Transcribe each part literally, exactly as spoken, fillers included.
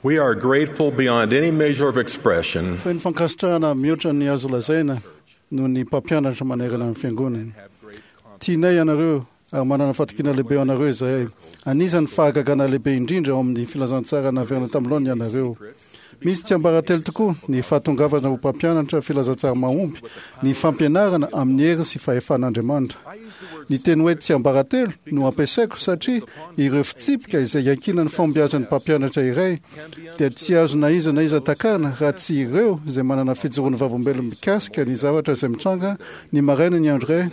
We are grateful beyond any measure of expression Feno fankasitrahana mihoatra ny azo lazaina noho ny mpampianatra manerana ny fiangonana. Tianay ianareo ary manana fatokiana lehibe anareo izahay. Anisan'ny fahagagana lehibe indrindra ao amin'ny filazantsara naverina tamin'ny laoniny ianareo. Misy tsiambaratelo tokoa ny fahatongavana ho mpampianatra filazantsara mahomby, ny fampianarana amin'ny hery sy fahefan'Andriamanitra. Ny teny hoe tsiambaratelo no ampiasaiko satria ireo fitsipika izay iankinan'ny fahombiazan'ny mpampianatra iray dia tsy azo na iza na iza takarina raha tsy ireo izay manana fijoroan'ny vavolombelona mikasika ny zavatra izay mitranga ny maraina ny andro iray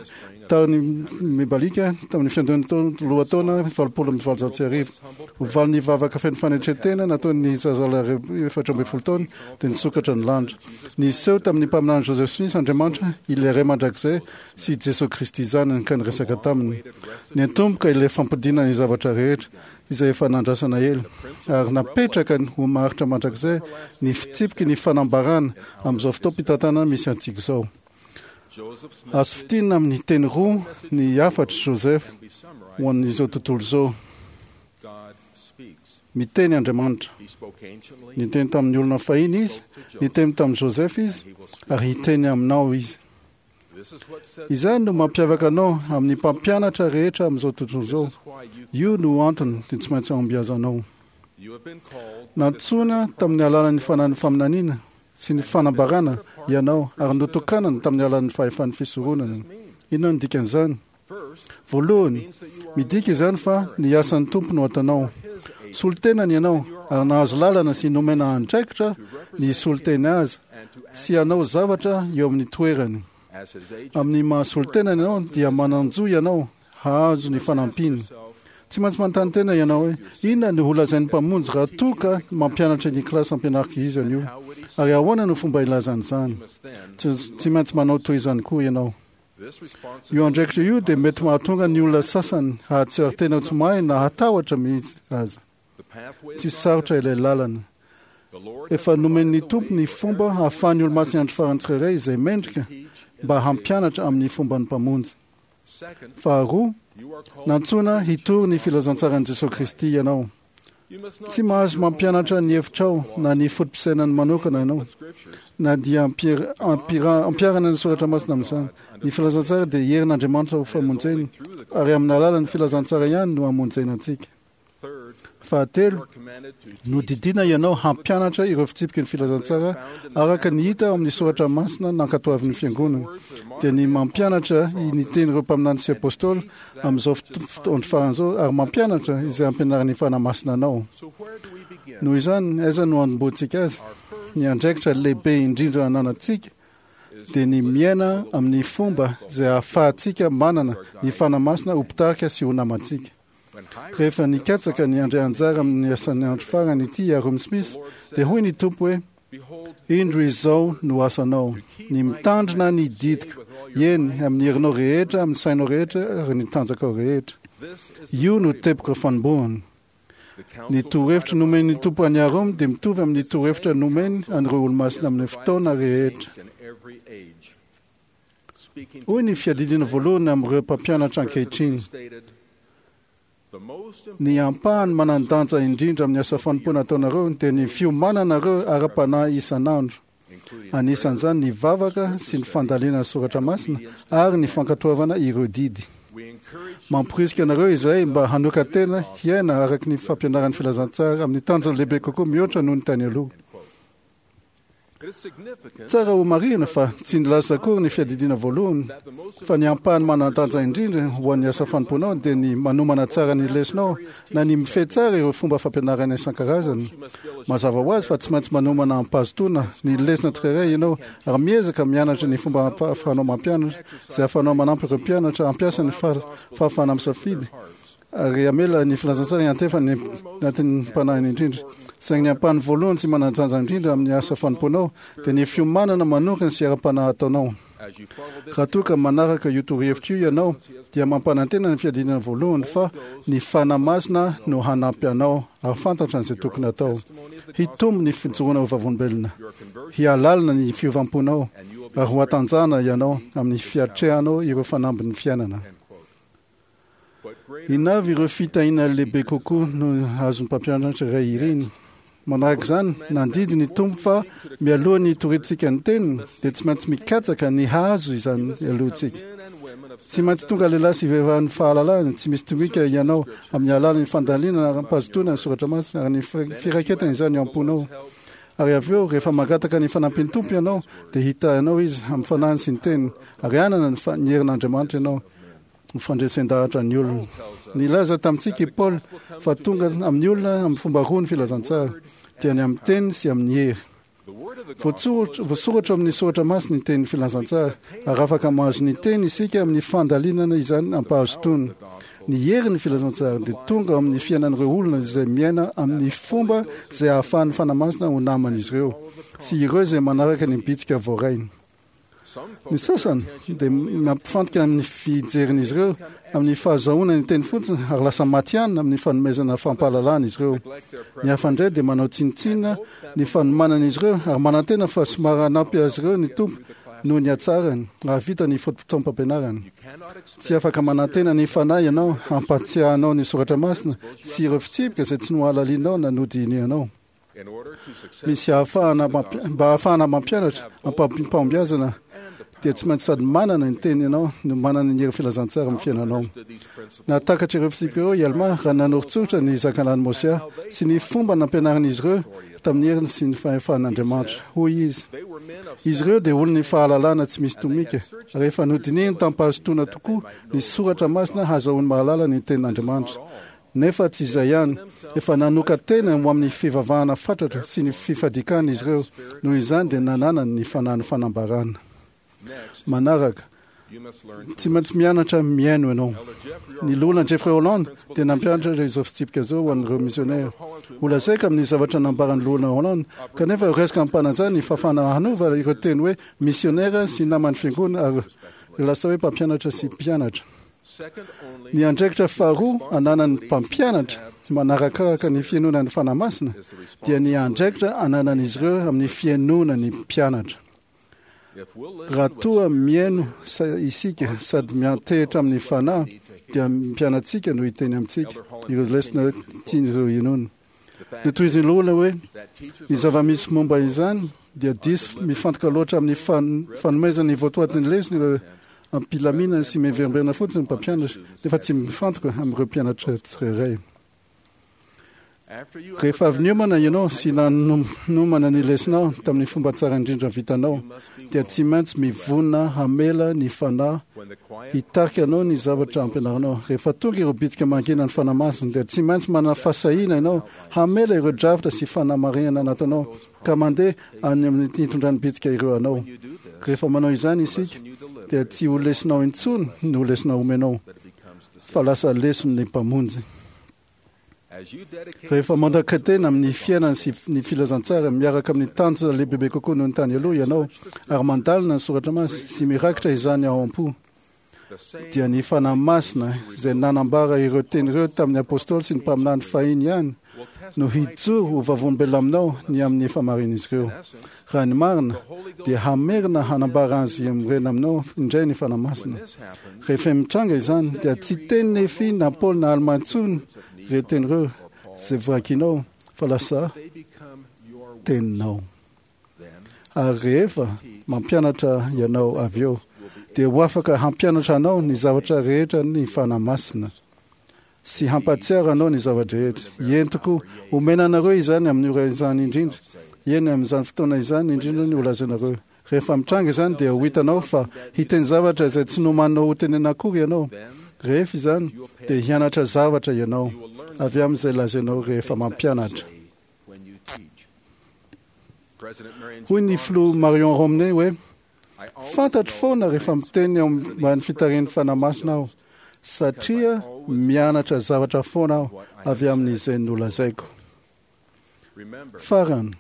tany mibalika tamin'ny fiandohan'ny taona lohataona valopolo amby valonjato sy arivo. Ho valin'ny vavaka feno fanetren-tena nataon'ny zazalahy efatra ambin'ny folo taona dia nisokatra ny lanitra. Niseho tamin'ny mpaminany Joseph Smith Andriamanitra, ilay Ray mandrakizay sy Jesoa Kristy Zanany ka niresaka taminy. Niantomboka ilay fampodiana ny zavatra rehetra izay efa nandrasana ela ary napetraka ho maharitra mandrakizay ny fitsipiky ny fanambarana amin'izao fotoam-pitantanana misy antsika izao. Azo fintinina amin'ny teny roa ny hafatr'i Joseph ho an'izao tontolo izao. Miteny Andriamanitra. Niteny tamin'ny olona fahiny izy, niteny tamin'i Joseph izy, ary hiteny aminao izy. Izay no mampiavaka anao amin'ny mpampianatra rehetra amin'izao tontolo izao. Io no antony dia tsy maintsy ahombiazanao. Nantsoina tamin'ny alalan'ny fanahin'ny faminaniana sy ny fanambarana ianao ary notokanana tamin'ny alalan'ny fahefan'ny fisoronana. Inona no dikan'izany? Voalohany, midika izany fa ny asan'ny Tompo no ataonao. Solontenany ianao ary nahazo lalana sy nomena andraikitra ny hisolo-tena azy sy hanao zavatra eo amin'ny toerany. Amin'ny maha solontenany ianao dia manan-jo ianao hahazo ny fanampiany. Tsy maintsy manontany tena ianao hoe, inona no holazain'ny Mpamonjy raha toa ka mampianatra ny kilasy ampianariko izy anio? Ary ahoana no fomba ilazany izany? Tsy, tsy maintsy manao toy izany koa ianao. Io andraikitra io dia mety mahatonga ny olona sasany hahatsiaro tena ho tsy mahay na hatahotra mihitsy aza. Tsy sarotra ilay lalana. Efa nomen'ny Tompo ny fomba hahafahan'ny olomasin'ny andro farany tsirairay izay mendrika mba hampianatra amin'ny fomban'ny Mpamonjy. Faharoa, nantsoina hitory ny filazantsaran'i Jesoa Kristy ianao. Tsy mahazo mampianatra ny hevitrao na ny foto-pisainany manokana ianao, na dia ampiharana ny soratra masina amin'izany. Ny filazantsara dia herin'Andriamanitra ho famonjena, ary amin'ny alalan'ny filazantsara ihany no hamonjena antsika. Fahatelo, nodidiana ianao hampianatra ireo fitsipiky ny filazantsara araka ny hita ao amin'ny soratra masina nankatoavin'ny fiangonana, dia ny mampianatra ny tenin'ireo mpaminany sy apôstôly amin'izao andro farany izao ary mampianatra izay ampianarin'ny Fanahy Masina anao. Noho izany, aiza no hanombohantsika azy? Ny andraikitra lehibe indrindra ananantsika dia ny miaina amin'ny fomba izay ahafahantsika manana ny Fanahy Masina ho mpitarika sy ho namantsika. Rehefa nikatsaka ny handray anjara amin'ny asan'ny andro farany ity i Hyrum Smith, dia hoy ny Tompo hoe, Indro izao no asanao, ny mitandrina ny didiko, eny, amin'ny herinao rehetra, amin'ny sainao rehetra, ary ny tanjakao rehetra. Io no teboka fanombohana. Ny torohevitra nomen'ny Tompo an'i Hyrum dia mitovy amin'ny torohevitra nomeny an'ireo olomasina amin'ny fotoana rehetra. Hoy ny fiadidiana voalohany amin'ireo mpampianatra ankehitriny, Ny ampahany manan-danja indrindra amin'ny asa fanompoana ataonareo dia ny fiomananareo ara-panahy isan'andro, anisan'izany ny vavaka sy ny fandalinana soratra masina ary ny fankatoavana ireo didy. Mamporisika anareo izahay mba hanokan-tena hiaina araka ny fampianaran'ny filazantsara amin'ny tanjona lehibe kokoa mihoatra noho ny tany aloha. Tsara homarihina fa tsy nilaza akory ny fiadidiana voalohany fa ny ampahany manan-danja indrindra ho an'ny asa fanompoanao dia ny manomana tsara ny lesonao na ny mifehy tsara ireo fomba fampianarana isan-karazany. Mazava ho azy fa tsy maintsy manomana amim-pahazotoana ny lesona tsirairay ianao ary miezaka mianatra ny fomba ahafahanao mampianatra izay ahafahanao manampy ireo mpianatra hampiasa ny fahafahana misafidy ary hamela ny filazantsara hiantefa ny anatin'ny mpanahiny indrindra. Saingy ny ampahany voalohany sy manan-danja indrindra amin'ny asa fanompoanao dia ny fiomanana manokana sy ara-panahy ataonao. Raha toa ka manaraka io torohevitra io ianao, dia mampanantena ny fiadiana voalohany fa ny Fanahy Masina no hanampy anao hahafantatra an'izay tokony hatao. Hitombo ny fijoroana ho vavolombelona, hihalalina ny fiovam-ponao, ary ho hatanjahana ianao amin'ny fiatrehanao ireo fanambin'ny fiainana. Inona avy ireo fitahiana lehibe kokoa no azon'ny mpampianatra iray iriny? Manaraka izany, nandidy ny Tompo fa mialoha ny hitoriantsika ny teniny dia tsy maintsy mikatsaka ny hahazo izany alohantsika. Tsy maintsy tonga lehilahy sy vehivavin'ny fahalalahana tsy misy tomika ianao amin'ny alalan'ny fandalinana ara-pahazotoana ny soratra masina ary ny firaketana izany eo am-ponao. Ary avy eo, rehefa mangataka ny fanampian'ny Tompo ianao, dia hitahy anao Izy amin'ny fanahiny sy ny teniny, ary hanana ny fa- ny herin'Andriamanitra ianao ho fandresen-dahatra ny olona. Nilaza tamintsika i Paoly fa tonga amin'ny olona amin'ny fomba roa ny filazantsara, dia ny amin'ny teny sy amin'ny hery. Voatsoratra voasoratra amin'ny soratra masina ny tenin'ny filazantsara, ary afaka mahazo ny teny isika amin'ny fandalinana izany am-pahazotoana. Ny herin'ny filazantsara dia tonga amin'ny fiainan'ireo olona izay miaina amin'ny fomba izay ahafahan'ny Fanahy Masina ho naman'izy ireo sy ireo izay manaraka ny bitsika voarainy. Ny sasany dia mampifantoka amin'ny fijerin'izy ireo amin'ny fahazahoana ny teny fotsiny ary lasa matihanina amin'ny fanomezana fampahalalana izy ireo. Ny hafa indray dia manao tsinontsinona ny fanomanan'izy ireo ary manantena fa somary hanampy azy ireo ny Tompo noho ny hatsarany hahavita ny fotoam-pampianarany. Tsy afaka manantena ny Fanahy ianao hampatsiahy ny soratra masina sy ireo fitsipika izay tsy nohalalinao na nodinihanao. Misy ahafahana mampi- mba ahafahana mampianatra ampahombiazana dia tsy maintsy sady manana ny teny ianao no manana ny hery filazantsara amin'ny fiainanao. Nahatakatra ireo fitsipika ireo i Alma raha nanoritsoritra ny zanakalahin'i Môsià sy ny fomba nampianarin'izy ireo tamin'ny heriny sy ny fahefan'Andriamanitra. Hoy izy: Izy ireo dia olon'ny fahalalana tsy misy tomika, rehefa nodinihiny tamim-pahazotoana tokoa ny soratra masina hahazoany mahalala ny tenin'Andriamanitra. Nefa tsy izay ihany, efa nanokan-tena ho amin'ny fivavahana fatratra sy ny fifadikana izy ireo, noho izany dia nananany ny fanahin'ny fanambarana. Manaraka, tsy maintsy mianatra mihaino ianao. Ny loholona Jeffrey Holland dia nampianatra izao fitsipika izao ho an'ireo misionera. Ho lazaiko amin'ny zavatra nambaran'ny loholona Holland, kanefa raisiko am-panajana ny fahafahana hanova ireo teny hoe misionera sy naman'ny fiangonana ary lasa hoe mpampianatra sy mpianatra. Ny andraikitra faharoa ananan'ny mpampianatra manarakaraka ny fihainoana ny Fanahy Masina dia ny andraikitra ananan'izy ireo amin'ny fihainoana ny mpianatra. Raha toa mihaino sa- isika sady miantehitra amin'ny Fanahy dia mpianatsika no hiteny amintsika ireo lesona tian'ireo hinoana. Notohizin'ny loholona hoe ny zava-misy momba izany dia diso mifantoka loatra amin'ny fan- fanomezana ny votoatin'ny lesona ireo ampilaminana sy miverimberina fotsiny ny mpampianatra nefa tsy mifantoka amin'ireo mpianatra tsirairay. Rehefa avy niomana ianao sy nanomana ny lesonao tamin'ny fomba tsara indrindra vitanao dia tsy maintsy mivonona hamela ny Fanahy hitarika anao ny zavatra ampianarinao. Rehefa tonga ireo bitsika mangina ny Fanahy Masina dia tsy maintsy manana fahasahiana ianao hamela ireo drafitra sy fanamarihana anatinao ka mandeha any amin'ny hitondran'ny bitsika ireo anao. Rehefa manao izany isika dia tsy ho lesinao intsony no lesona omenao fa lasa leson'ny Mpamonjy. Rehefa mandaka-tena amin'ny fiainana sy ny filazantsara miaraka amin'ny tanjona lehibebe kokoa noho ny tany aloha ianao ary mandalina ny soratra masina sy mirakitra izany ao am-po dia ny Fanahy Masina izay nanambara ireo teny ireo tamin'ny apôstôly sy ny mpaminany fahiny ihany no hijoro ho vavolombelona aminao ny amin'ny fahamarinan'izy ireo. Raha ny marina dia hamerina hanambara azy mirena aminao indray ny Fanahy Masina. Rehefa mitranga izany dia tsy teny Nefy na Paoly na Alma intsony ireo teny ireo izay voakinao fa lasa teninao. Ary rehefa mampianatra ianao avy eo dia ho afaka hampianatra anao ny zavatra rehetra ny Fanahy Masina sy hampatsiaro anao ny zava-drehetra. Eny tokoa, omena anareo izany amin'ny ora izany indrindra, eny amin'izany fotoana izany indrindra ny holazainareo. Rehefa mitranga izany dia ho hitanao fa hiteny zavatra izay tsy nomaninao ho tenena akory ianao. Rehefa izany dia hianatra zavatra ianao avy amin'izay lazainao rehefa mampianatra. Hoy ny filoha Marion Romney hoe fantatro foana rehefa miteny eo ambany fitarihan'ny Fanahy Masina aho satria mianatra zavatra foana aho avy amin'izay nolazaiko. Farany,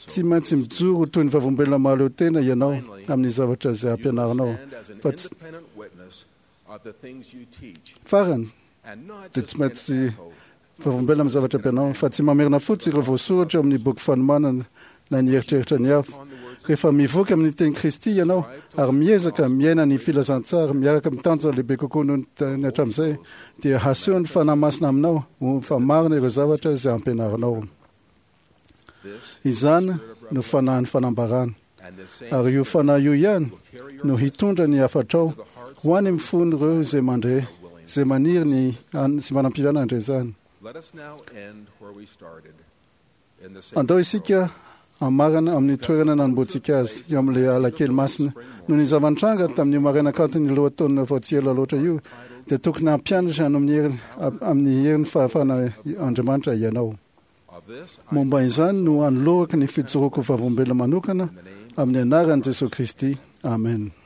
tsy maintsy mijoro toy ny vavolombelona mahaleo tena ianao amin'ny zavatra izay ampianarinao fa tsy farany dia tsy maintsy vavolombelona amin'ny zavatra ampianao fa tsy mamerina fotsiny ireo voasoratra eo amin'ny boky fanomanana na ny eritreritra ny hafa. Rehefa mivoaka amin'ny teny Kristy ianao ary miezaka miaina ny filazantsara miaraka amin'ny tanjona lehibe kokoa noho ny hatramin'izay dia haseho ny Fanahy Masina aminao ho fa marina ireo zavatra izay ampianarinao. Izany no fanahin'ny fanambarana. Ary io fanahy io ihany no hitondra ny hafatrao ho any amin'ny fon'ireo izay mandre, izay maniry ny sy manam-pirana handre izany. Andao isika hamarana amin'ny toerana nanombohantsika azy, eo amin'ilay alakely masina. Noho ny zava-nitranga tamin'io maraina kanton'ny lohataona vao tsy ela loatra io, dia tokony hampianatra amin'ny heriny amin'ny herin'ny fahafahana Andriamanitra ianao. Momba izany no anolorako ny fijoroako vavolombelona manokana amin'ny anaran'i Jesosy Kristy. Amen.